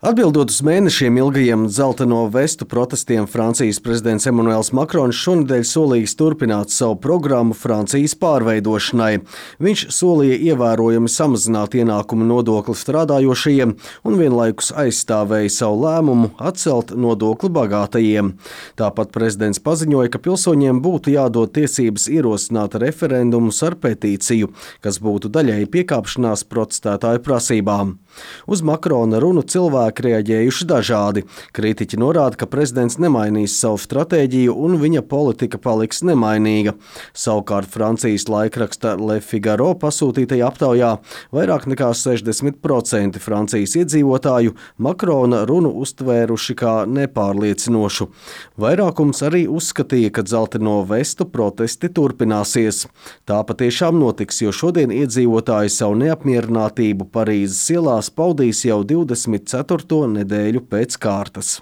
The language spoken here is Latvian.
Atbildot uz mēnešiem ilgajiem dzelteno vestu protestiem, Francijas prezidents Emmanuels Makrons šonedēļ solījis turpināt savu programmu Francijas pārveidošanai. Viņš solīja ievērojami samazināt ienākumu nodokli strādājošajiem un vienlaikus aizstāvēja savu lēmumu atcelt nodokli bagātajiem. Tāpat prezidents paziņoja, ka pilsoņiem būtu jādod tiesības ierosināt referendumus ar petīciju, kas būtu daļēji piekāpšanās protestētāju prasībām. Uz Makrona runu cilvēki reaģējuši dažādi. Kritiķi norāda, ka prezidents nemainīs savu stratēģiju un viņa politika paliks nemainīga. Savukārt Francijas laikraksta Le Figaro pasūtītajā aptaujā vairāk nekā 60% Francijas iedzīvotāju Makrona runu uztvēruši kā nepārliecinošu. Vairākums arī uzskatīja, ka dzelteno vestu protesti turpināsies. Tā patiešām notiks, jo šodien iedzīvotāji savu neapmierinātību Parīzes ielās paudīs jau 24. nedēļu pēc kārtas.